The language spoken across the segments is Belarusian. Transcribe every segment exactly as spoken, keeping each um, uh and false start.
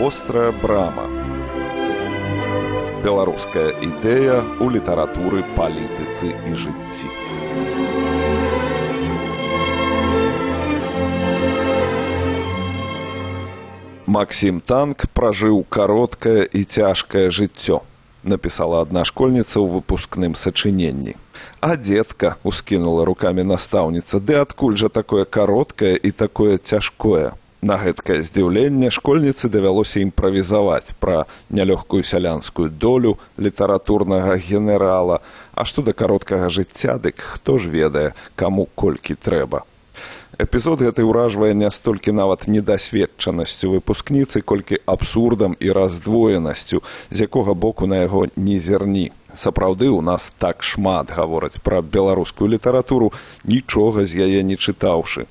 Вострая брама. Беларуская ідэя ў літаратуры, палітыцы і жыцці. Максім Танк пражыў кароткае і цяжкае жыццё, напісала адна школьніца ў выпускным сачыненні. А дзетка, ускінула рукамі настаўніца, ды адкуль жа такое кароткае і такое цяжкое? На гэткае здзіўленне школьніцы давялося імправізаваць пра нялёгкую сялянскую долю літаратурнага генерала, а што да кароткага жыцця, дык хто ж ведае, каму колькі трэба. Эпізод гэты ўражвае не столькі нават недасведчанасцю выпускніцы, колькі абсурдам і раздвоенасцю, з якога боку на яго не зерні. Сапраўды, у нас так шмат гавораць пра беларускую літаратуру, нічога з яе не чытаўшы.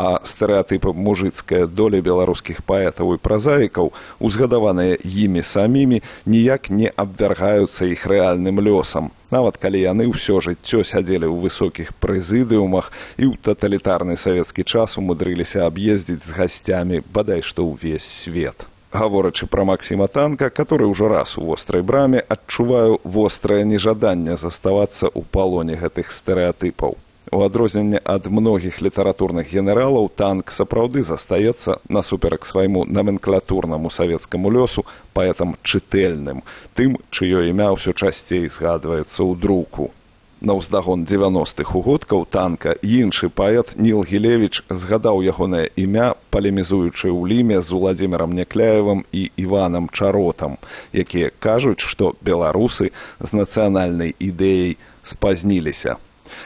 А стэрэатыпы мужыцкая доля беларускіх паэтаў і празаікаў, узгадаваныя імі самімі, ніяк не абвяргаюцца іх рэальным лёсам, нават калі яны ўсё жыццё сядзелі ў высокіх прэзідыумах і ў таталітарны савецкі час умудрыліся аб'ездзіць з гасцямі бадай што ўвесь свет. Гаворачы пра Максіма Танка, который ўжо раз у вострай браме, адчуваю вострае нежаданне заставацца ў палоне гэтых стэрэатыпаў. У адрозненне ад многіх літаратурных генералаў, Танк сапраўды застаецца, насуперак свайму наменклатурнаму савецкаму лёсу, паэтам чытэльным, тым, чыё імя ўсё часцей згадваецца ў друку. На ўздагон дзевяностых угодкаў Танка іншы паэт Ніл Гілевіч згадаў ягонае імя, палемізуючы ў ліме з Уладзімірам Някляевым і Іванам Чаротам, якія кажуць, што беларусы з нацыянальнай ідэяй спазніліся.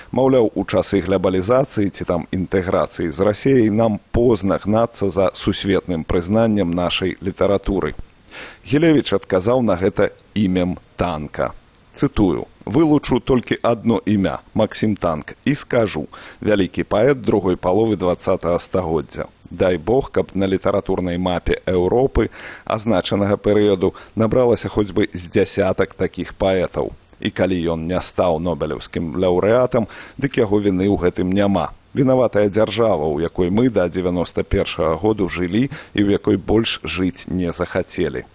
Маўляў, у часы глобалізацыі ці там інтэграцыі з Расіяй нам позна гнацца за сусветным прызнаннем нашай літаратуры. Гілевіч адказаў на гэта імем Танка. Цытую: «Вылучу толькі адно імя – Максім Танк, і скажу: вялікі паэт другой паловы дваццатага стагоддзя. Дай Бог, каб на літаратурнай мапе Еўропы азначанага перыяду набралася хоць бы з дзясятак такіх паэтаў. І калі ён не стаў нобелеўскім лаўрэатам, дык яго віны ў гэтым няма. Вінаватая дзяржава, у якой мы да дзевяноста першага году жылі і ў якой больш жыць не захацелі».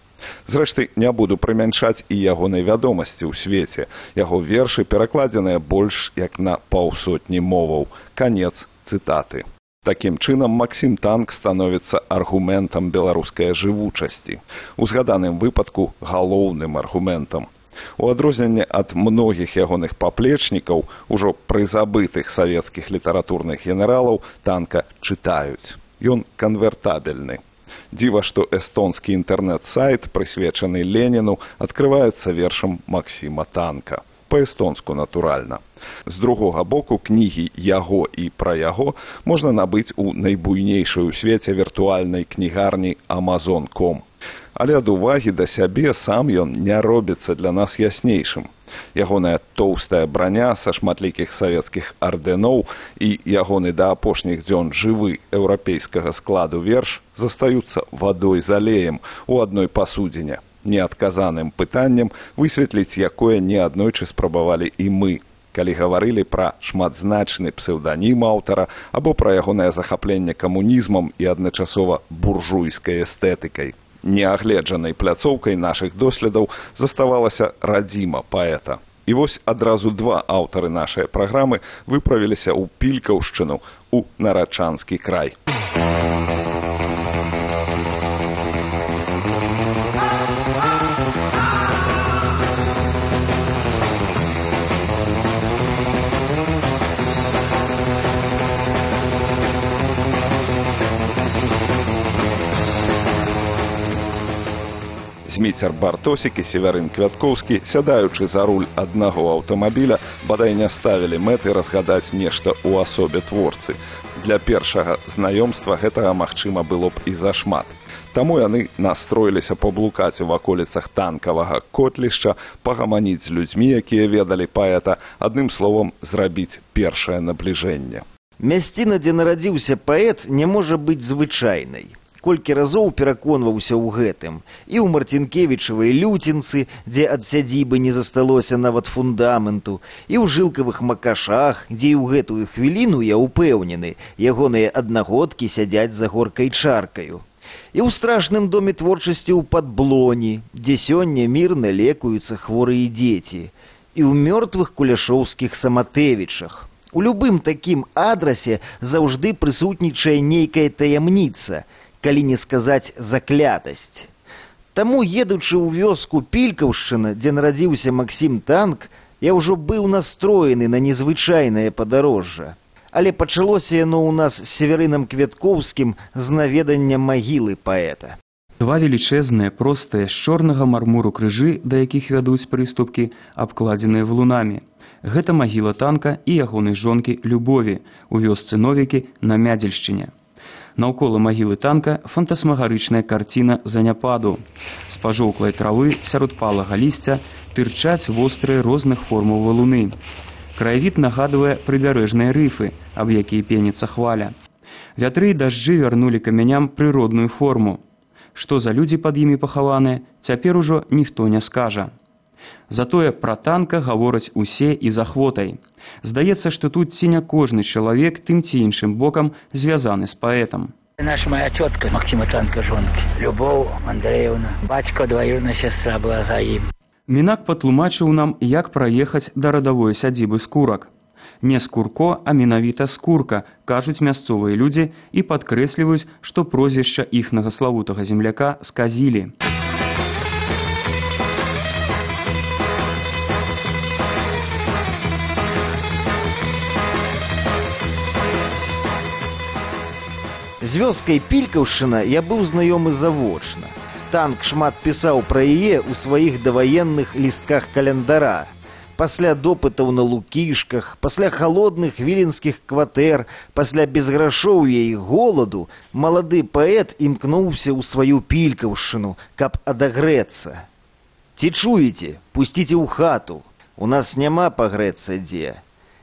Зрэшты, не буду прымяншаць і ягонай вядомасці ў свеце. Яго вершы перакладзеныя больш як на паўсотні моваў. Канец цытаты. Такім чынам, Максім Танк становіцца аргументам беларускай жывучасці. У згаданым выпадку галоўным аргументам. У адрозненне ад многіх ягоных паплечнікаў, ужо прызабытых савецкіх літаратурных генералаў, Танка чытаюць. Ён канвертабельны. Дзіва, што эстонскі інтэрнэт-сайт, прысвечаны Леніну, адкрываецца вершам Максіма Танка. Па-эстонску, натуральна. З другога боку, кнігі яго і пра яго можна набыць у найбуйнейшай у свеце віртуальнай кнігарні Амазон крапка ком. Але ад увагі да сябе сам ён не робіцца для нас яснейшым. Ягоная тоўстая браня са шматлікіх савецкіх ардэноў і ягоны да апошніх дзён жывы еўрапейскага складу верш застаюцца вадой з алеем у адной пасудзіне, неадказаным пытаннем, высветліць якое неаднойчы спрабавалі і мы, калі гаварылі пра шматзначны псеўданім аўтара або пра ягонае захапленне камунізмам і адначасова буржуйскай эстэтыкай. Неагледжанай пляцоўкай нашых доследаў заставалася радзіма паэта. І вось адразу два аўтары нашай праграмы выправіліся ў Пількаўшчыну, у Нарачанскі край. Зміцер Бартосік і Севярын Квяткоўскі, сядаючы за руль аднаго аўтамабіля, бадай не ставілі мэты разгадаць нешта ў асобе творцы. Для першага знаёмства гэтага, магчыма, было б і зашмат. Таму яны настроіліся паблукаць у ваколіцах танкавага котлішча, пагаманіць з людзьмі, якія ведалі паэта, адным словам, зрабіць першае набліжэнне. Мясціна, дзе нарадзіўся паэт, не можа быць звычайнай. Колькі разоў пераконваўся ў гэтым. І ў Марцінкевічавай люцінцы, дзе ад сядзібы не засталося нават фундаменту, і ў жылкавых макашах, дзе і ў гэтую хвіліну, я ўпэўнены, ягоныя аднагодкі сядзяць за горкай чаркаю. І ў страшным доме творчасці ў Падблоні, дзе сёння мірна лекуюцца хворыя дзеці, і ў мёртвых куляшоўскіх Саматэвічах. У любым такім адрасе заўжды прысутнічае нейкая таямніца, калі не сказаць заклятасць. Таму, едучы ў вёску Пількаўшчына, дзе нарадзіўся Максім Танк, я ўжо быў настроены на незвычайнае падарожжа. Але пачалося яно ў нас з Северынам Квяткоўскім з наведання магілы паэта. Два велічэзныя, простыя, з чорнага мармуру крыжы, да якіх вядуць прыступкі, абкладзеныя валунамі. Гэта магіла Танка і ягонай жонкі Любові у вёсцы Новікі на Мядзельшчыне. Наўкола магілы Танка фантасмагарычная карціна заняпаду. З пажоўклай травы сярод палага лісця тырчаць вострыя розных формаў валуны. Краявід нагадвае прыбярэжныя рыфы, аб якія пеніцца хваля. Вятры і дажджы вярнулі камяням прыродную форму. Што за людзі пад імі пахаваныя, цяпер ужо ніхто не скажа. Затое пра Танка гавораць усе і з ахвотай. Здаецца, што тут ці не кожны чалавек тым ці іншым бокам звязаны з паэтам. Наша моя тетка Максима Танка жонки, Любов Андреевна, бацька двоюродная сестра была за ім. Мінак патлумачыў нам, як праехаць да радавой сядзібы Скурак. Не Скурко, а менавіта Скурка, кажуць мясцовыя людзі і падкрэсліваюць, што прозвішча іхнага славутага земляка сказілі. З вёскай Пількаўшчына я быў знаёмы завочна. Танк шмат пісаў пра яе ў сваіх даваенных лістках календара. Пасля допытаў на Лукішках, пасля халодных віленскіх кватэр, пасля безграшоўя і голаду, малады паэт імкнуўся ў сваю Пількаўшчыну, каб адагрэцца. Ці чуеце? Пусціце ў хату. У нас няма пагрэцца дзе.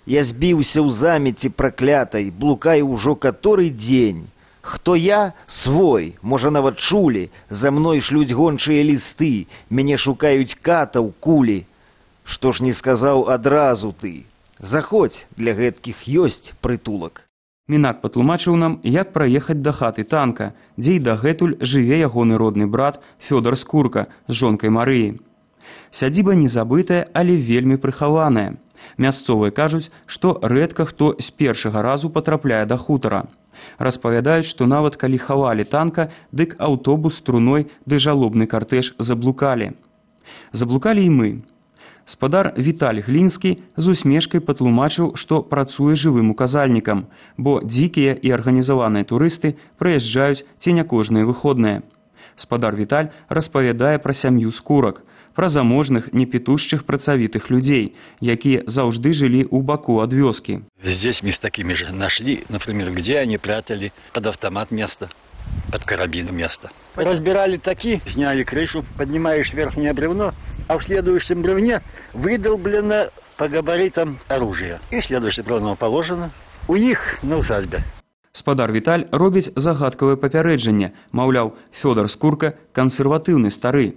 Я збіўся ў замеці праклятай, блукаю ўжо каторы дзень. Хто я? Свой, можа нават чулі, за мной шлюць гончыя лісты, мяне шукаюць катаў, кулі. Што ж не сказаў адразу ты? Заходзь, для гэткіх ёсць прытулак. Мінак патлумачыў нам, як праехаць да хаты Танка, дзе і дагэтуль жыве ягоны родны брат Фёдар Скурка з жонкай Марыі. Сядзіба не забытая, але вельмі прыхаваная. Мясцовыя кажуць, што рэдка хто з першага разу патрапляе да хутара. Распавядаюць, што нават калі хавалі Танка, дык аўтобус з труной ды жалобны картэж заблукалі. Заблукалі і мы. Спадар Віталь Глінскі з усмешкай патлумачыў, што працуе жывым указальнікам, бо дзікія і арганізаваныя турысты прыязджаюць ці не кожныя выходныя. Спадар Віталь распавядае пра сям'ю Скурак, пра заможных, непітушчых працавітых людзей, якія заўжды жылі ў баку ад вёскі. Здесь мы с такими же нашли, например, где они прятали под автомат место, под карабин место. Разбирали таки, сняли крышу, поднимаешь верхнее бревно, а в следующем бревне выдолблено по габаритам оружие. И следующее бревно положено у них на усадьбе. Спадар Віталь робіць загадкавае папярэджанне, маўляў, Фёдар Скурка кансерватыўны стары.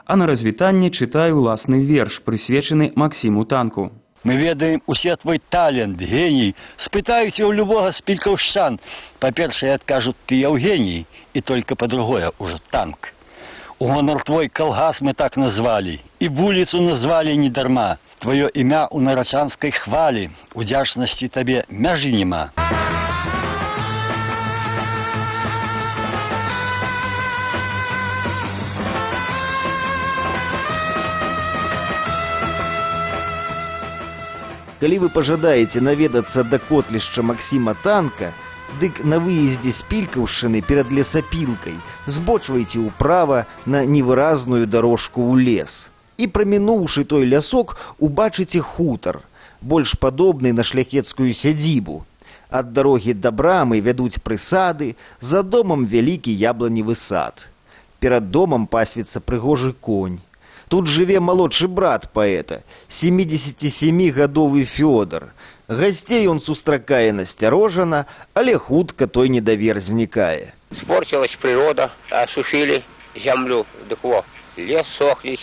А на развітанне чытаю ўласны верш, прысвечаны Максіму Танку. Мы ведаем усе твой талент, геній. Спытаюся у любого з пількаўшчан. Па-першае, адкажут, ты Евгений, и только по-другое уже Танк. У гонор твой калгас мы так назвали, и вуліцу назвали недарма. Твое імя у нарачанской хвалі, удзячнасці табе мяжы нема. Калі вы пажадаеце наведацца да котлішча Максіма Танка, дык на выездзе з Пількаўшчыны перад лесапілкай збочвайце ўправа на невыразную дарожку ў лес. І прамінуўшы той лясок, убачыце хутар, больш падобны на шляхецкую сядзібу. Ад дарогі да брамы вядуць прысады, за домам вялікі ябланевы сад. Перад домам пасвіцца прыгожы конь. Тут жыве малодшы брат паэта, семідзесяцісямігадовы Фёдар. Гасцей он сустракае насцярожана, але хутка той недавер знікае. Спорчилась природа, осушили землю, дык во, лес сохнет,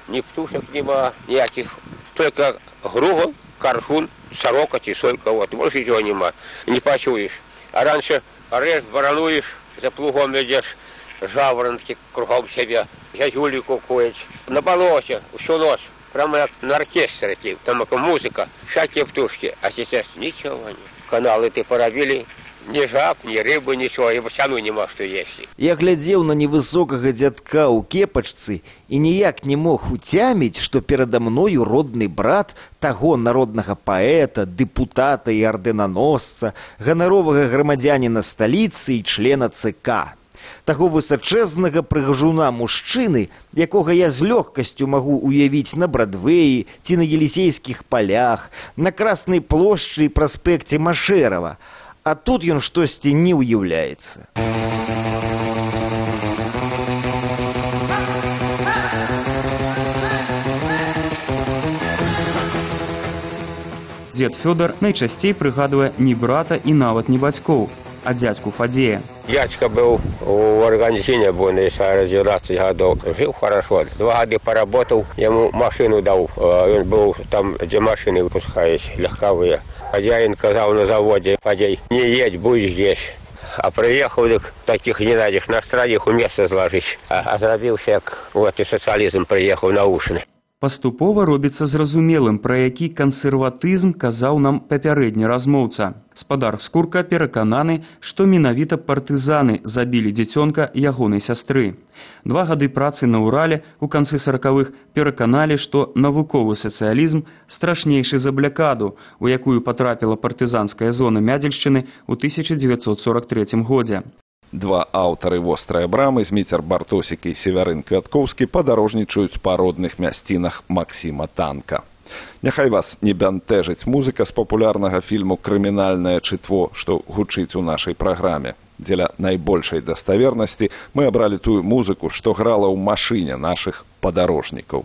ни птушек нема, никаких, только гругол, кархун, сорока, тисойка, вот, больше ничего нема, не почуешь. А раньше режь, воронуешь, за плугом идешь, жаворонки кругом себя, зязюли кукують. На болоте всю ночь, прямо как на оркестре, там музыка, всякие птушки, а сейчас ничего нет. Каналы ты поробили, ни жаб, ни рыбы, ничего, и втяну нема, что есть. Я глядзеў на невысокага дзядка ў кепачцы і ніяк не мог уцяміць, што перада мною родны брат таго народнага паэта, дэпутата і ардэнаносца, ганаровага грамадзяніна сталіцы і члена ЦК. Таго высачэзнага прыгажуна мужчыны, якога я з лёгкасцю магу уявіць на Брадвеі ці на Елісейскіх палях, на Краснай плошчы і праспекце Машэрава. А тут ён штосьці не ўяўляецца. Дзед Фёдар найчасцей прыгадвае не брата і нават не бацькоў, а дзядзьку Фадзея. Дядька был в Аргентине, с девятнадцати годов. Жил хорошо. Два года поработал, ему машину дал. Он был там, где машины выпускались, легковые. Хозяин сказал на заводе: Фадей, не едь, будь здесь. А приехал, так таких не надо, на страдих у места сложить. А, а зрабился, как вот и социализм приехал наушны. Паступова робіцца зразумелым, пра які кансерватызм казаў нам папярэдні размоўца. Спадар Скурка перакананы, што менавіта партызаны забілі дзіцёнка ягонай сястры. Два гады працы на Урале ў канцы саракавых пераканалі, што навуковы сацыялізм страшнейшы за блякаду, у якую патрапіла партызанская зона Мядзельшчыны ў тысяча дзевяцьсот сорак трэцім годзе. Два аўтары вострай брамы, Зміцер Бартосік і Севярын Квяткоўскі, падарожнічаюць па родных мясцінах Максіма Танка. Няхай вас не бянтэжыць музыка з папулярнага фільму «Крымінальнае чытво», што гучыць у нашай праграме. Дзеля найбольшай даставернасці мы абралі тую музыку, што грала ў машыне нашых падарожнікаў.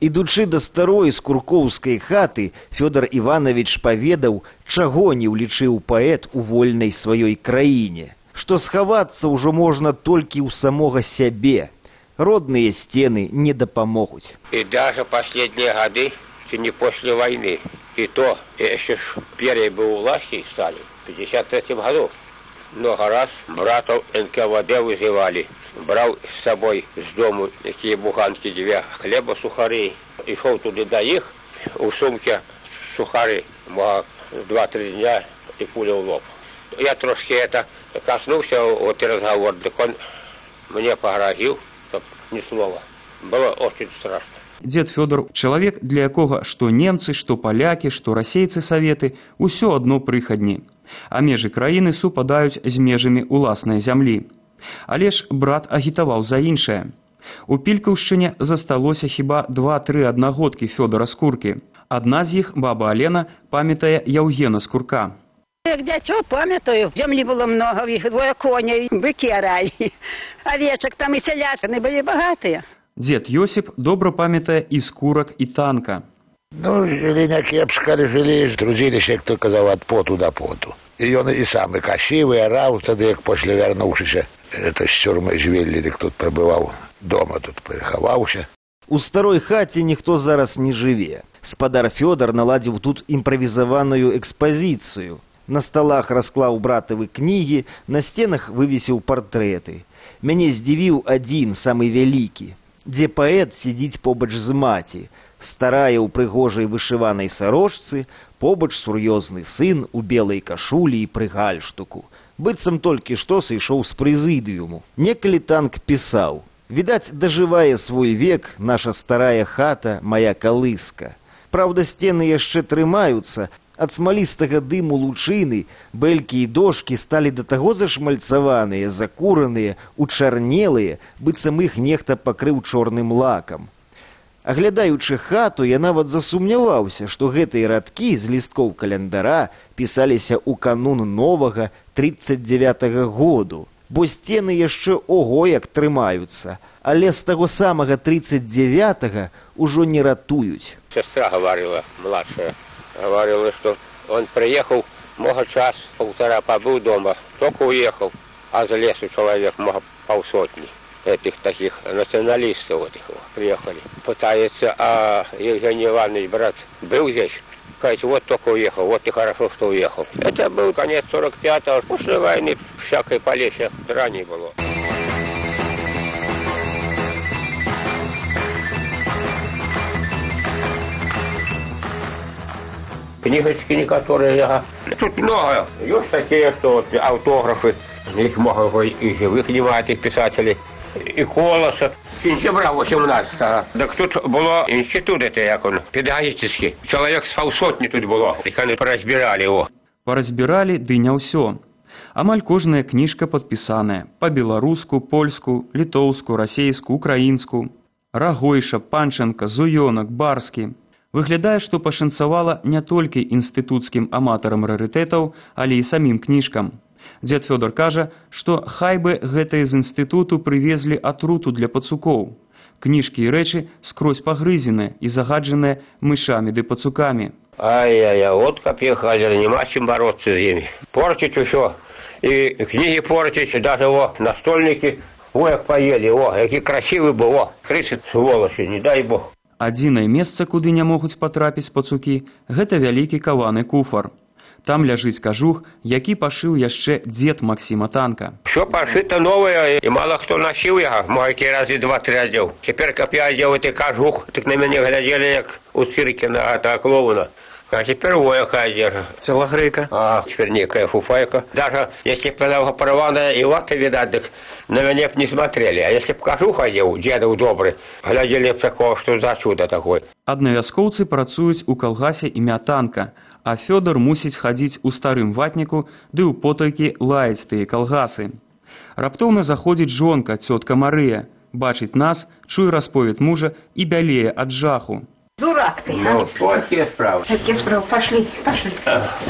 Ідучы да старой скуркоўскай хаты, Фёдар Іванович паведаў, чаго не ўлічыў паэт у вольнай сваёй краіне. Што схавацца ўжо можна толькі ў самога сябе. Родныя сцены не дапамогуць. И даже последние годы, не после войны, и то, еще первые бы у власти стали, в пятьдесят третьем году, много раз братов эн ка вэ дэ вызывали. Брал с собой с дому такие буханки, две хлеба, сухари, и шел туда до их, у сумки сухари, два-три дня, и пуля в лоб. Я трошки это коснулся, вот и разговор, так он мне погрозил, чтоб ни слова. Было очень страшно. Дзед Фёдар – чалавек, для якога што немцы, што палякі, што расейцы саветы – усё адно прыхадні. А межы краіны супадаюць з межамі ўласнай зямлі. Але ж брат агітаваў за іншае. У Пількаўшчыне засталося хіба два-тры аднагодкі Фёдара Скуркі. Адна з іх, баба Алена, памятае Яўгена Скурка. Як дзяцё памятаю, зямлі было много, іх двое коней, быкі аралі, авечак там і сялятыны былі багатыя. Дзед Йосіп добра памятае і Скурак, і Танка. Ну, жили не кепска, жили, трудились, як то казав, от поту до поту. І ён і сам і касіў, і араў, тады, як пасля вярнуўшыся, это з цюрмы звелі, дык тут прабываў, дома тут прыхаваўся. У старой хаце ніхто зараз не жыве. Спадар Фёдар наладзіў тут імправізаваную экспазіцыю. На сталах расклаў братавы кнігі, на сценах вывесіў партрэты. Мяне здзівіў адзін, самы вялікі, дзе паэт сядзіць побач з маці, старая ў прыгожай вышыванай сарочцы, побач сур'ёзны сын у белай кашулі і пры гальштуку. Быццам толькі што сышоў з прэзідыуму. Некалі Танк пісаў: «Відаць, дажывае свой век наша старая хата, мая калыска. Праўда, сцены яшчэ трымаюцца, ад смалістага дыму лучыны бэлькі і дошкі сталі да таго зашмальцаваныя, закураныя, учарнелыя, быццам іх нехта пакрыў чорным лакам». Аглядаючы хату, я нават засумняваўся, што гэтыя радкі з лісткоў календара пісаліся ў канун новага трыццаць дзявятага году, бо сцены яшчэ ого як трымаюцца, але з таго самага трыццаць дзявятага ўжо не ратуюць. Сестра говорила, младшая, говорила, что он приехал, много час, полтора побыл дома, только уехал, а за лесу человек, много полсотни. Этих таких националистов вот их приехали. Пытается, а Евгений Иванович, брат, был здесь. Говорит, вот только уехал, вот и хорошо, что уехал. Это был конец сорок пятого, после войны всякой полесья драни было. книжечки некоторые. Тут много. Есть такие, что вот автографы. Их много и живых немає тих писателей. І Колоса. Сентября восемнадцатого. Так тут було інститут, это, як он, педагогический. Чоловік з паўсотні тут було. Їх вони порозбирали його. Паразбіралі, ды не ўсё. Амаль кожная кніжка падпісаная па-беларуску, польску, літоўску, расейску, украінску. Рагойша, Панченка, Зуёнак, Барскі. Выглядае, што пашанцавала не толькі інстытуцкім аматарам рарытэтаў, але і самім кніжкам. Дзед Фёдор кажа, што хай бы гэтыя з інстытуту прывезлі атруту для пацукоў. Кніжкі і рэчы скрозь пагрызеныя і загаджаныя мышамі ды пацукамі. Ай-яй-яй, от кап'ехали, нема чим бороться з ними. Портить усё. І книги портить, даже о, настольники. О, як поели, о, які красивый был, о, крысы, сволочи, не дай бог. Адзінае месца, куды не могуць патрапіць пацукі, гэта вялікі каваны куфар. Там ляжыць кажух, які пашыў яшчэ дзед Максіма Танка. Все пошито новое, и мало кто носил его. Мой разы два-три одел. Теперь, как я одел этот кажух, так на меня глядели, как у цирке на этого клоуна. А теперь вояка одежда. Телогрейка. А, теперь некая фуфайка. Даже если бы она порванная и латы, видать, так на меня б не смотрели. А если бы кажух одел, дедов добрый, глядели бы такого, что за чудо такое. Аднавяскоўцы працуюць у калгасе імя Танка, а Фёдор мусіць хадзіць у старым ватніку ды ў потайкі лаяць тыя калгасы. Раптоўна заходзіць жонка, цётка Марыя, бачыць нас, чуе расповед мужа і бялее ад жаху. Дурак ты, а? Ну, какие справы? Какие справы? Пошли, пошли.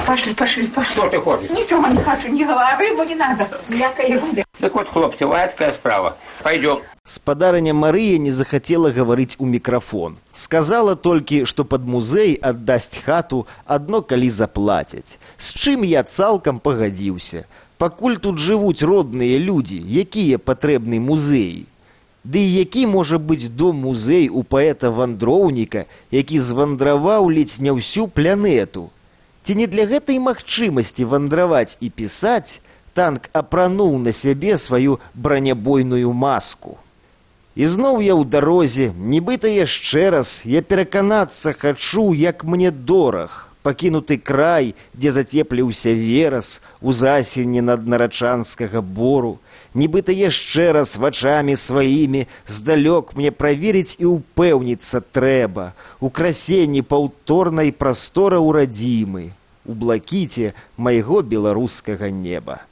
Пошли, пошли, пошли. Что ты хочешь? Ничего не хочу, не говори, рыбу не надо. Мякая ерунда. Так вот, хлопцы, вот такая справа. Пойдем. Спадарыня Марыя не захацела гаварыць у мікрафон. Сказала толькі, што пад музей аддасць хату адно калі заплацяць. З чым я цалкам пагадзіўся. Пакуль тут жывуць родныя людзі, якія патрэбны музеі. Ды і які можа быць дом-музей у паэта-вандроўніка, які звандраваў ледзь не ўсю планету? Ці не для гэтай магчымасці вандраваць і пісаць Танк апрануў на сябе сваю бранябойную маску. І зноў я ў дарозе, нібыта яшчэ раз, я пераканацца хачу, як мне дораг, пакінуты край, дзе зацепліўся верас у засені над нарачанскага бору, нібыта яшчэ раз вачамі сваімі здалёк мне праверыць і ўпэўніцца трэба у красенні паўторнай прастора ўрадзімы, у блакіце майго беларускага неба.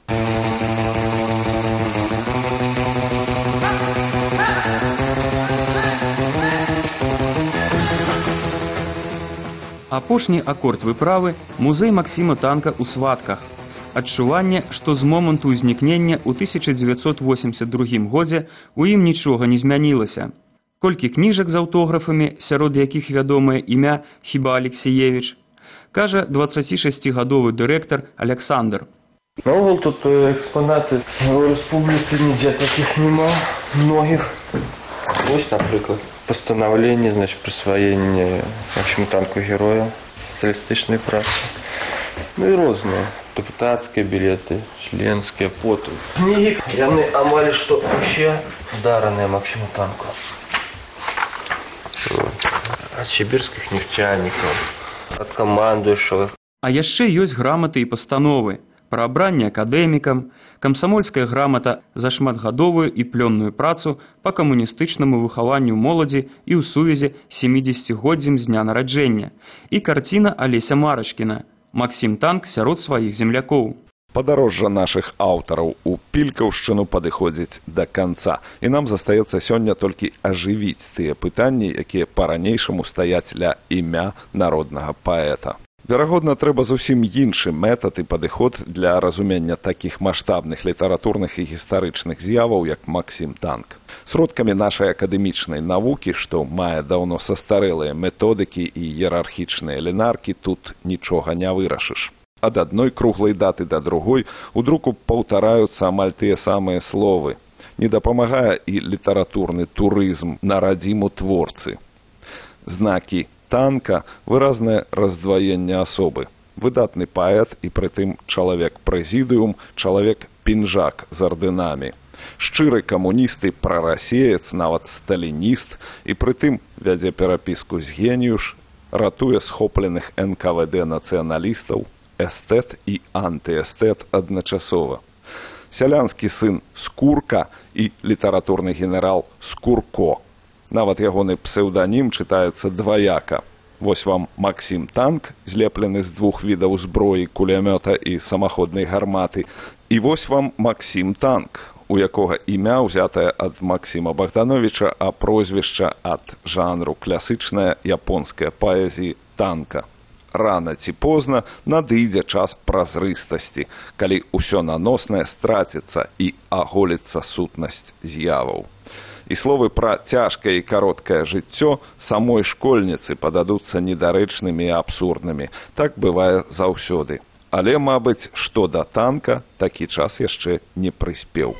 Апошні акорд выправы музей Максіма Танка ў сватках. Адчуванне, што з моманту ўзнікнення ў тысяча дзевяцьсот восемьдесят другім годзе у ім нічога не змянілася. Колькі кніжак з аўтографамі, сярод якіх вядомае імя Хіба Алексіевіч, кажа дваццацішасцігадовы дырэктар Александр. Наогул тут экспонаты ў рэспубліцы нідзе такіх нема, многіх. Вось, напрыклад, пастанаўленне, значит, прысваення Максіму Танку героя сацыялістычнай працы. Ну і розныя. Депутатскія білеты, членскія, поту. Кнігі, яны амаль што ўсе дараныя Максіму Танку. Ад сібірскіх нефтянікаў, ад камандуючых. А яшчэ ёсць граматы і пастановы пра абранне акадэмікам, камсамольская грамата за шматгадовую і плённую працу па камуністычнаму выхаванню моладзі і ў сувязі з сямідзесяцігоддзем з дня нараджэння і карціна Алеся Марачкіна «Максім Танк сярод сваіх землякоў». Падарожжа нашых аўтараў у Пількаўшчыну падыходзіць да канца, і нам застаецца сёння толькі ажывіць тыя пытанні, якія па-ранейшаму стаяць ля імя народнага паэта. Верагодна, трэба зусім іншы метад і падыход для разумення такіх маштабных літаратурных і гістарычных з'яваў, як Максім Танк. Сродкамі нашай акадэмічнай навукі, што мае даўно састарэлыя методыкі і іерархічныя лінаркі, тут нічога не вырашыш. Ад адной круглай даты да другой у друку паўтараюцца амаль тыя самыя словы. Не дапамагае і літаратурны турызм на радзіму творцы. Знакі Танка – выразнае раздваенне асобы. Выдатны паэт і прытым чалавек-прэзідыум, чалавек-пінжак з ардынамі. Шчыры камуніст і прарасеец, нават сталініст, і прытым вядзе перапіску з геніюш, ратуе схопленых эн ка вэ дэ нацыяналістаў, эстэт і антыэстэт адначасова. Сялянскі сын Скурка і літаратурны генерал Скурко. Нават ягоны псеўданім чытаецца дваяка. Вось вам Максім Танк, злеплены з двух відаў зброі, кулямёта і самаходнай гарматы. І вось вам Максім Танк, у якога імя ўзятае ад Максіма Богдановича, а прозвішча ад жанру класычная японская паэзіі танка. Рана ці позна надыдзе час празрыстасці, калі ўсё наноснае страціцца і аголіцца сутнасць з'яваў. І словы пра цяжкае і кароткае жыццё самой школьніцы пададуцца недарэчнымі і абсурднымі. Так бывае заўсёды. Але, мабыць, што да танка, такі час яшчэ не прыспеў.